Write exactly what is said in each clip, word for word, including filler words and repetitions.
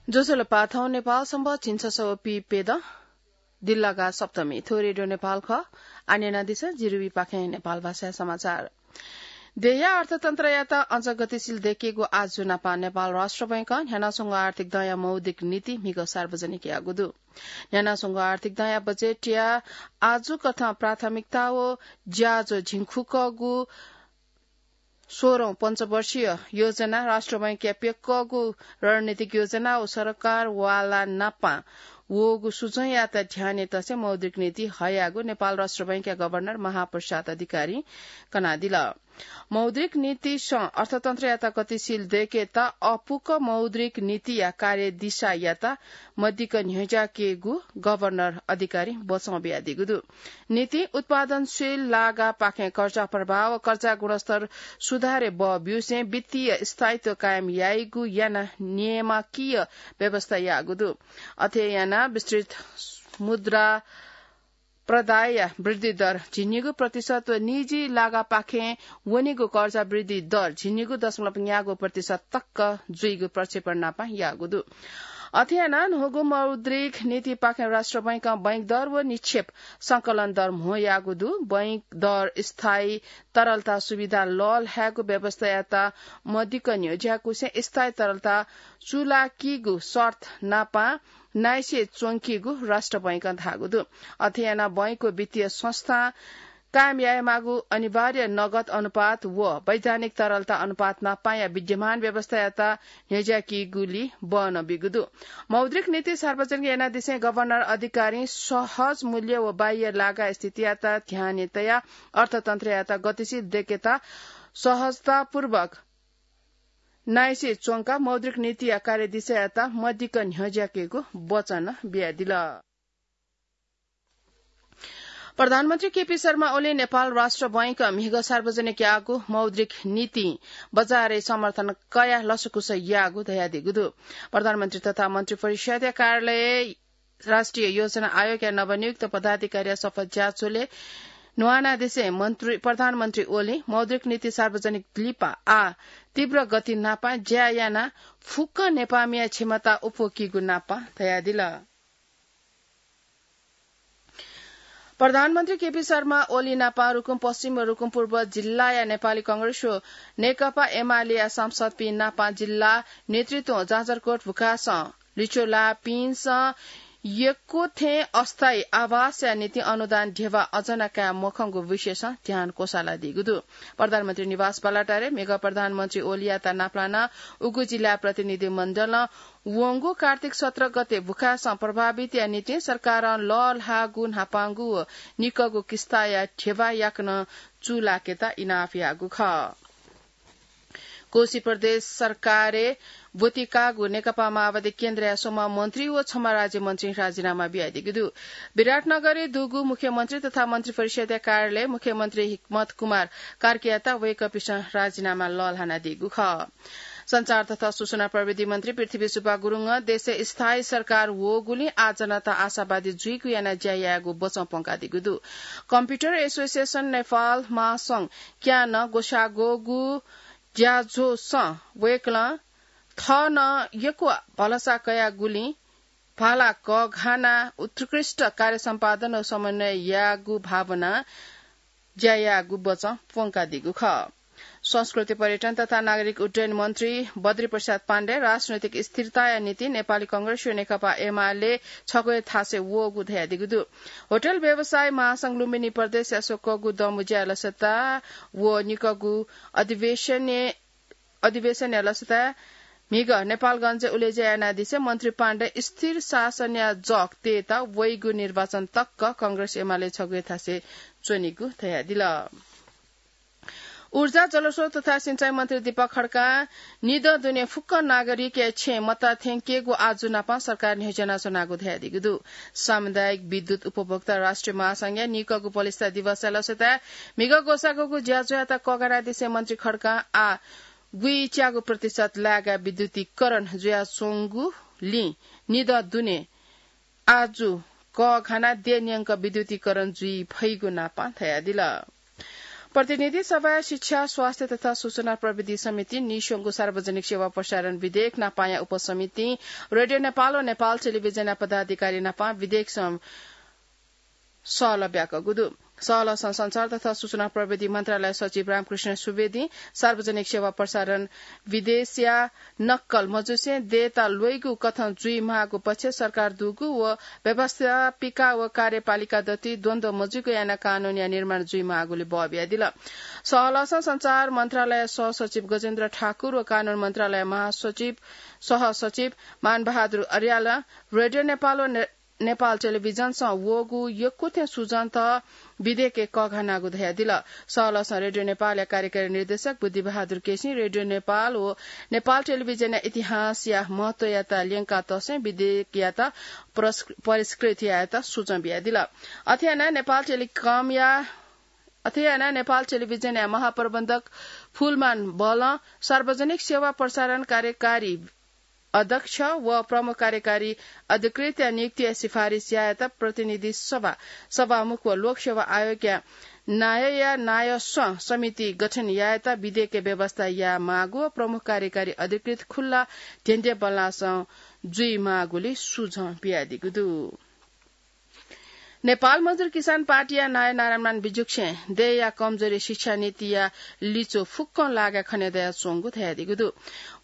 ज्वजलपा, थौं नेपाल संवत् झिंछसः व पीप्यदँ दिल्लागा सप्तमी। थ्व रेडियो नेपाल खः। आः न्यनादिसँ, जिरुवीपाखें नेपाल भाषाया समाचार। देशया अर्थतन्त्रयात अझ गतिशील दय्केगु आजु नापं नेपाल राष्ट्र बैंकं न्ह्यानाच्वंगु आर्थिक दँया मौद्रिक नीति म्हिगः सार्वजनिक याःगु दु। न्ह्यानाच्वंगु आर्थिक दँया बजेटया आजु कथं प्राथमिकता व ज्याझ्वः झिंखुकःगु सोह्रौं पञ्चवर्षीय योजना, राष्ट्र बैंकया प्यक्कःगु रणनीतिक योजना व सरकार वाला नापं वःगु सुझ्वंयात ध्यानय् तसे मौद्रिक नीति हयागु नेपाल राष्ट्र बैंकया गभर्नर महाप्रसाद अधिकारीं कनादिल। मौद्रिक नीतिसं अर्थतन्त्रयात गतिशील दय्केत अःपुक मौद्रिक नीतिया कार्यदिशायात मदिक्क न्ह्यज्याकेगु गभर्नर अधिकारीं बचं बियादीगु दु। नीतिं उत्पादनशील लागापाखें कर्जा प्रवाह व कर्जा गुणस्तर सुधारय् बः ब्यूसें वित्तीय स्थायित्व कायम याइगु यानाः नियामकीय व्यवस्था याःगु दु। अथे यानाः विस्तृत मुद्रा प्रदायया वृद्धि दर झिंनिगू प्रतिशत व निजी लागापाखें वनीगु कर्जा वृद्धि दर झिंनिगू दशमलव न्यागू प्रतिशत तक जुइगु प्रक्षेपण नापं याःगु दु। अथे यानाः न्हूगु मौद्रिक नीतिपाखें राष्ट्र बैंकं बैंक दर व निक्षेप संकलन दर म्हो याःगु दु। बैंक दर स्थायी तरलता सुविधा लःल्हायेगु व्यवस्थायात मदिक्क न्ह्यज्याकूसें स्थायी तरलता चूलाकीगु शर्त नापं नाइसे च्वंकीगु राष्ट्र बैंकं धाःगु दु। अथे यानाः बैंक व वित्तीय संस्थां कायम यायेमाःगु अनिवार्य नगद अनुपात व वैधानिक तरलता अनुपात नापंया विद्यमान व्यवस्थायात न्ह्यज्याकीगुली बः नं बीगु दु। मौद्रिक नीति सार्वजनिक यानादिसें गभर्नर अधिकारीं सहज मूल्य व बाह्य लागा स्थितियात ध्यानय् तयाः अर्थतन्त्रयात गतिशील दय्केत सहजतापूर्वक नाइसे च्वंकाः मौद्रिक नीतिया कार्यदिशायात मदिक्क न्ह्यज्याकेगु वचं बियादिल। प्रधानमन्त्री केपी शर्मा ओलीं नेपाल राष्ट्र बैंकं म्हिगः सार्वजनिक याःगु मौद्रिक नीतिं बजारय् समर्थन कयाः लसकुस याःगु धयादीगु दु। प्रधानमन्त्री तथा मन्त्री परिषदया कार्यालय राष्ट्रिय योजना आयोगया नवनियुक्त पदाधिकारीया शपथ ज्याझ्वलय् न्ह्यानादिसें मन्त्री, प्रधानमन्त्री ओलीं मौद्रिक नीति सार्वजनिक लिपा आः तीव्र गति नापं ज्या यानाः फुक्क नेपाःमिया क्षमता अप्वःकीगु नापं धयादिल। प्रधानमन्त्री केपी शर्मा ओली नापं रुकुम पश्चिम व रुकुम पूर्व जिल्लाया नेपाली कांग्रेस व नेकपा एमालेया सांसदपिं नापं जिल्ला नेतृत्वं जाजरकोट भुखासं लिच्वः लाःपिन्सं यक्व थें अस्थायी आवासया निंतिं अनुदान ध्यबा अझ नं काये मखंगु विषयसं ध्यान क्वसालादीगु दु। प्रधानमन्त्री निवास बालाटारय् म्हिगः प्रधानमन्त्री ओलीयात नापलानाः उगु जिल्ला प्रतिनिधि मण्डलं वंगु कार्तिक सत्र गते भुखासं प्रभावितया निंतिं सरकारं लःल्हाःगु न्हापांगु व निकःगु किस्ताया ध्यबा याकनं चूलाकेत इनाप याःगु खः। कोशी प्रदेश सरकारय् ब्वति काःगु नेकपा माओवादी केन्द्रया स्वम्ह मन्त्री व छम्ह राज्यमन्त्रीं राजीनामा बियादीगु दु। विराटनगरय् दुगु मुख्यमन्त्री तथा मन्त्री परिषदया कार्यालयय् मुख्यमन्त्री हिक्मत कुमार कार्कीयात वय्कःपिन्सं राजीनामा लःल्हानादीगु खः। सञ्चार तथा सूचना प्रविधि मन्त्री पृथ्वी सुब्बा गुरुङं देशय् स्थायी सरकार वःगुलिं आः जनता आशावादी जुइगु यानाः ज्या यायेगु बचं प्वंकादीगु दु। कम्प्युटर एसोसिएसन नेपाल महासंघ क्यानं ग्वसाःगु ज्याझ्वलय् वय्कलं थः नं यक्व भलसा कयागुलिं भाला कःघानाः उत्कृष्ट कार्य सम्पादन व समन्वय यायेगु भावनां ज्या यायेगु बचं प्वंकादीगु खः। संस्कृति, पर्यटन तथा नागरिक उड्डयन मन्त्री बद्री प्रसाद पाण्डे राजनैतिक स्थिरताया निंतिं नेपाली कांग्रेस व नेकपा एमाले छगू हे थासय् वःगु धयादीगु दु। होटल व्यवसाय महासंघ लुम्बिनी प्रदेशया स्वकःगु दँबुज्या लसता व निकःगु अधिवेशनय् अधिवेशनया लसताय् म्हिगः नेपालगञ्जय् उलेज्या यानादिसें मन्त्री पाण्डे स्थिर शासनया जग तयेत वइगु निर्वाचन तक कांग्रेस एमाले छगू हे थासय् च्वनीगु धयादिल। ऊर्जा, जलस्रोत तथा सिँचाइ मन्त्री दीपक खड्कां निदँ दुने फुक्क नागरिकया छेँय् मत थ्यंकेगु आजु नापं सरकार न्ह्यज्यानाच्वनागु धयादीगु दु। सामुदायिक विद्युत उपभोक्ता राष्ट्रिय महासंघया निकःगु पलिस्था दिवसया लसताय् म्हिगः ग्वसाःगु ज्याझ्वःयात कःघानादिसें मन्त्री खड्कां आः गुइच्यागू प्रतिशत लाय्काः विद्युतीकरण जुयाच्वंगुलिं निदँ दुने आजु कःघानाः देय् न्यंक विद्युतीकरण जुइ फइगु नापं धयादिल। प्रतिनिधि सभाय् शिक्षा, स्वास्थ्य तथा सूचना प्रविधि समितिं नीस्वंगु सार्वजनिक सेवा प्रसारण विधेयक नापाया उपसमितिं रेडियो नेपाल व नेपाल टेलिभिजनया पदाधिकारी नापं विधेयक सं-, सहलह ब्याकूगु दु। सहलहसं संचार तथा सूचना प्रविधि मन्त्रालय सचिव रामकृष्ण सुवेदीं सार्वजनिक सेवा प्रसारण विधेयकया नक्कल मजुसें देय्‌ता ल्वइगु कथं जुइमाःगु पक्ष सरकार दुगु व व्यवस्थापिका व कार्यपालिका दथुइ द्वन्द्व मजुइगु यानाः कानूनया निर्माण जुइमाःगुलि बः बियादिल। सहलहसं संचार मन्त्रालय सहसचिव गजेन्द्र ठाकुर व कानून मन्त्रालय महासचिव, सहसचिव मानबहादुर अर्यालं रेडियो नेपाल व ने-, नेपाल टेलिभिजनसं वःगु यक्व थें सुजनत विधेयकय् कःघानागु धयादिल। सहलहसं रेडियो नेपालया कार्यकारी निर्देशक बुद्धिबहादुर केसीं रेडियो नेपाल व नेपाल टेलिभिजनया इतिहासया महत्वयात ल्यंका तसें विधेयकयात पुरस्क-, परिष्कृत यायेत सुचं बियादिल। अथे यानाः नेपाल टेलिकमया, अथे यानाः नेपाल टेलिभिजनया महाप्रबन्धक फुलमान बलं सार्वजनिक सेवा प्रसारण कार्यकारी अध्यक्ष व प्रमुख कार्यकारी अधिकृतया नियुक्तिया सिफारिस यायेत प्रतिनिधि सभा सभामुख व लोकसेवा आयोगया नायःया नायःस्वं समिति गठन यायेत विधेयकय् व्यवस्था यायेमाःगु व प्रमुख कार्यकारी अधिकृत खुल्ला ध्यंध्यंबल्लासं जुइमाःगुलि सुझाव बियादीगु दु। नेपाल मजदुर किसान पार्टीया नायः नारायणमान बिजुक्सें देय्‌या कमजोरी शिक्षा नीतिया लिच्वः फुक्कं लागाय् खने दयाच्वंगु धयादीगु दु।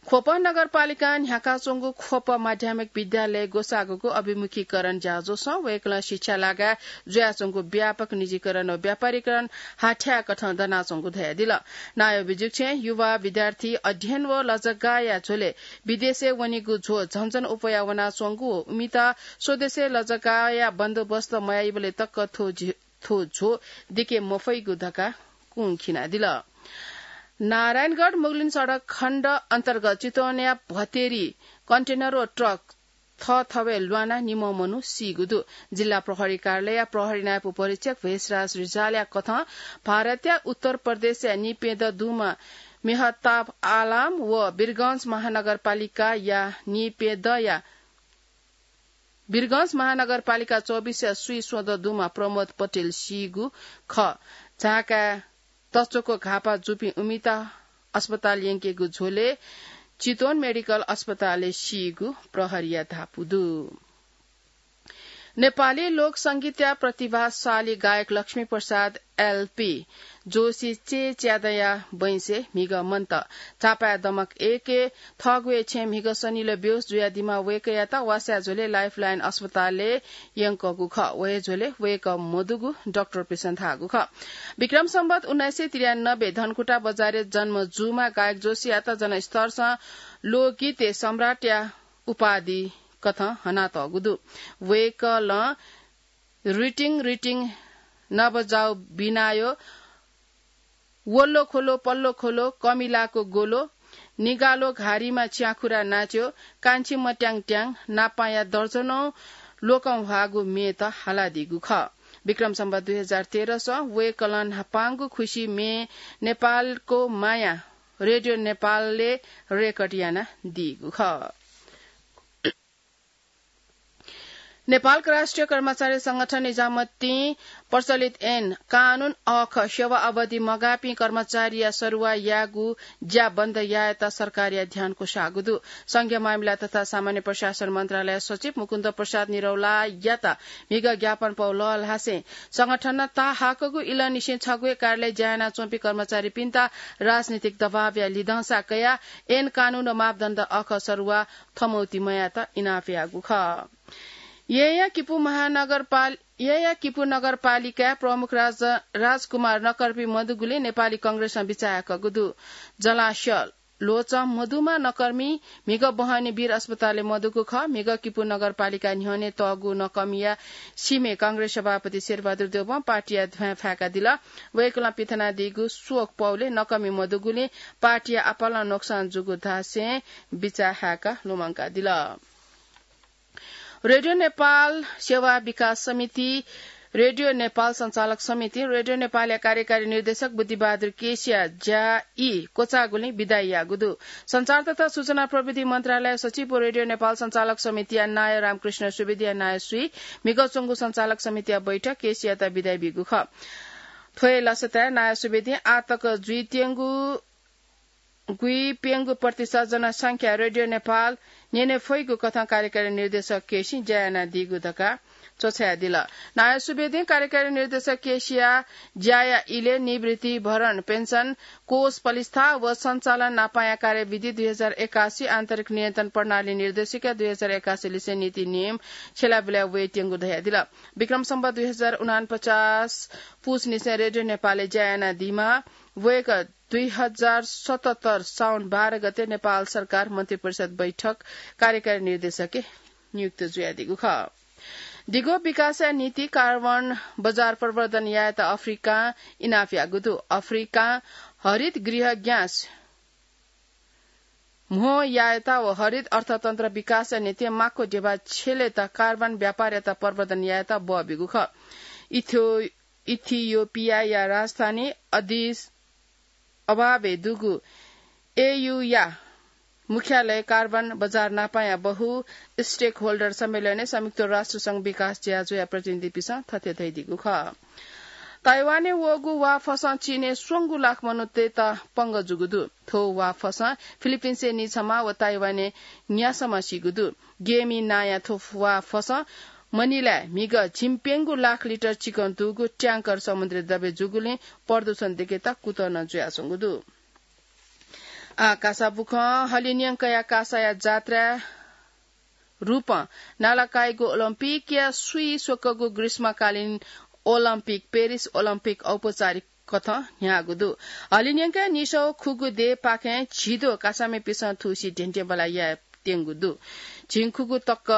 ख्वप नगरपालिकां न्ह्याकाच्वंगु ख्वप माध्यमिक विद्यालय ग्वसाःगुगु अभिमुखीकरण ज्याझ्वलय् वय्‌कलं शिक्षा लागाय् जुयाच्वंगु व्यापक निजीकरण व व्यापारीकरण हाथ्याःकथं दनाच्वंगु धयादिल। नायः बिजुक्सें युवा विद्यार्थी अध्ययन व लजगाःया झ्वलय् विदेशय् वनीगु झ्वः झन झन अप्वया वनाच्वंगु व उमित स्वदेशय् लजगाःया बन्दोबस्त मयाइबलय् तक थ्व झि-, थ्व झ्वः दिके मफइगु धकाः कुंखिनादिल। नारायणगढ मुगलिन सडक खण्ड अन्तर्गत चितवनया भतेरी कन्टेनर व ट्रक थःथवय् ल्वानाः निम्ह मनू सीगु दु। जिल्ला प्रहरी कार्यालयया प्रहरी नायब उपरीक्षक भेषराज रिजालया कथं भारतया उत्तर प्रदेशया निपेदँ दुमा मेहताब आलाम व वीरगंज महानगरपालिकाया निपेदँया वीरगंज महानगरपालिका चौबिसया स्वीस्वदँ दुमा प्रमोद पटेल सीगु खः। झाँकाय् तच्वक घाःपाः जूपिं उमित अस्पताल यंकेगु झ्वलय् चितवन मेडिकल अस्पतालय् सीगु प्रहरीया धापू दु। नेपाली लोक संगीतया प्रतिभाशाली गायक लक्ष्मी प्रसाद एलपी जोशी चय् च्यादँया बैंसय् म्हिगः मन्त। झापाय् दमक एकय् थःगु हे छेँय् म्हिगः सनिलय् बेहोस जुयादीम्ह वय्‌कःयात वासया झ्वलय् लाइफलाइन अस्पतालय् यंकूगु खः। व हे झ्वलय् वय्‌कः मदुगु डाक्टरपिन्सं धाःगु खः। विक्रम सम्बत उन्नाइस सय त्रियानब्बे धनकुटा बजारय् जन्म जूम्ह गायक जोशीयात जनस्तरसं लोकगीतय् सम्राटया उपाधि कथं हनातःगु दु। वय्‌कलं रिटिङ रिटिङ नबजाउ बिनायो, वल्लो खोलो पल्लो खोलो, कमिलाको गोलो, निगालो घारीमा च्याखुरा नाच्यो, कान्छी मट्याङ ट्याङ, नापाया दर्जनौं लोकंह्वाःगु म्येत हालादीगु खः। विक्रम सम्बत दुई हजार तेह्र सं वय्‌कलं न्हापांगु खुसी म्ये नेपालको माया रेडियो नेपालले रेकर्ड यानादीगु खः। नेपालका राष्ट्रिय कर्मचारी संगठन निजामतीं प्रचलित ऐन कानून अःख सेवा अवधि मगाःपिं कर्मचारीया सरुवा याःगु ज्या बन्द यायेत सरकारया ध्यान क्वसाःगु दु। संघीय मामिला तथा सामान्य प्रशासन मन्त्रालय सचिव मुकुन्द प्रसाद निरौलायात म्हिगः ज्ञापन पौ लःल्हासें संगठनं ताःहाकःगु इलंनिसें छगू हे कार्यालय ज्या यानाच्वंपिं कर्मचारीपिन्त राजनीतिक दबावया लिधंसा कयाः ऐन कानून व मापदण्ड अःख सरुवा थमौति मयायेत इनाप याःगु खः। येँयाँ किपु महानगरपाल-, येँयाँ किपु नगरपालिकाय् प्रमुख राज-, राजकुमार नकर्मी मदुगुलिं नेपाली कांग्रेसं बिचाः याकूगु दु। जलाशय ल्वचं मदुम्ह नकर्मी म्हिगः बहनी वीर अस्पतालय् मदुगु खः। म्हिगः किपु नगरपालिका न्ह्यःने तःगु नकर्मीया सीम्हय् कांग्रेस सभापति शेरबहादुर देवं पार्टीया ध्वाँय् फाय्कादिल। वय्‌कलं पिथनादीगु शोक पौलय् नकर्मी मदुगुलिं पार्टीया आपालं नोक्सान जूगु धासें बिचाः हाय्‌काः लुमंकादिल। रेडियो नेपाल सेवा विकास समिति, रेडियो नेपाल सञ्चालक समितिं रेडियो नेपालया कार्यकारी निर्देशक बुद्धिबहादुर केसीया ज्या ई क्वचाःगुलिं बिदाइ याःगु दु। सञ्चार तथा सूचना प्रविधि मन्त्रालय सचिव व रेडियो नेपाल सञ्चालक समितिया नायः रामकृष्ण सुवेदीया नायःसुइ म्हिगः च्वंगु सञ्चालक समितिया बैठक केसीयात बिदाइ बीगु खः। थ्व हे लसताय् नायः सुभेदिं आःतक जुइत्यंगु गुइप्यंगु प्रतिशत जनसंख्या रेडियो नेपाल न्यने फइगु कथं कार्यकारी निर्देशक केसीं ज्या यानादीगु धकाः च्वछायादिल। नायः सुभेदिं कार्यकारी निर्देशक केसीया ज्याया इलय् निवृत्ति भरण पेन्सन कोष पलिस्था व सञ्चालन नापाया कार्यविधि दुई हजार एकासी आन्तरिक नियन्त्रण प्रणाली निर्देशिका दुई हजार एकासी लिसे नीति नियम छ्यलाबुलाय् वयेत्यंगु धयादिल। विक्रम सम्वत दुई हजार उनापचास पुस निसें रेडियो नेपालय् ज्या यानादीम्ह वय्कः दुई हजार सतहत्तर साउन बाह्र गते नेपाल सरकार मन्त्रिपरिषद बैठक कार्यकारी निर्देशकय् नियुक्त जुयादीगु खः। दिगो विकासया निंतिं कार्बन बजार प्रवर्धन यायेत अफ्रिकां इनाप याःगु दु। अफ्रिकां हरित गृह ग्यास म्हो यायेत व हरित अर्थतन्त्र विकासया निंतिं माक्व ध्यबा छ्यलेत कार्बन व्यापारयात प्रवर्धन यायेत बः ब्यूगु खः। इथ्यो-, इथियोपियाया राजधानी अदिस अबाबे दुगु एयूया मुख्यालय कार्बन बजार नापाया बहु stakeholder सम्मेलनय् संयुक्त राष्ट्र संघ विकास ज्याझ्वःया प्रतिनिधिपिसं थथे धयादीगु खः। ताइवानय् वःगु वाफसं चीनय् स्वंगू लाख मनूतय्त पंगः जूगु दु। थ्व वाफसं फिलिपिन्सय् निछम्ह व ताइवानय् न्यासम्ह सीगु दु। गेमी नांया थ्व वाफसं मनिलाय् म्हिगः झिंप्यंगू लाख लिटर चिकं दुगु ट्यांकर समुद्री द्रव्य जूगुलिं प्रदूषण दयेकेत कुतः नं जुयाच्वंगु दु। आः कासा बुखँ। हलिंन्यंकया कासाया जात्राया रूपं नालाकाइगु ओलम्पिकया स्वीस्वकःगु ग्रीष्मकालीन ओलम्पिक पेरिस ओलम्पिक औपचारिक कथं न्ह्याःगु दु। हलिंन्यंकया निसः खुगू देय्‌पाखें झिद्वः कासामिपिसं थुसी धेंधेंबल्लाः यायेत्यंगु दु। झिंखुगू तक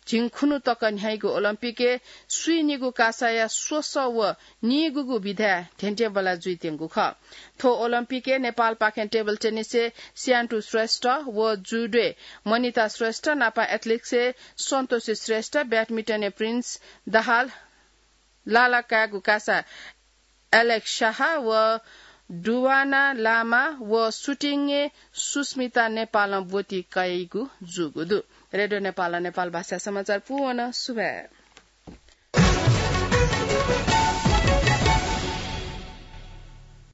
झिंखुन्हु तक न्ह्याइगु ओलम्पिकय् स्वीनिगू कासाया स्वसः व नीगूगू विधाय् धेंधेंबल्लाः जुइत्यंगु खः। थ्व ओलम्पिकय् नेपालपाखें टेबल टेनिसय् स्यान्टु श्रेष्ठ व जुडोय् मनिता श्रेष्ठ नापं एथलेटिक्सय् सन्तोषी श्रेष्ठ, ब्याडमिन्टनय् प्रिन्स दाहाल, लालाकाय्‌गु कासा एलेक्स शाह व डुवाना लामा व सुटिङय् सुस्मिता नेपालं ब्वति कयाइगु जूगु दु। रेडियो नेपालं नेपाल भाषा समाचार पूवन। सुभाय्।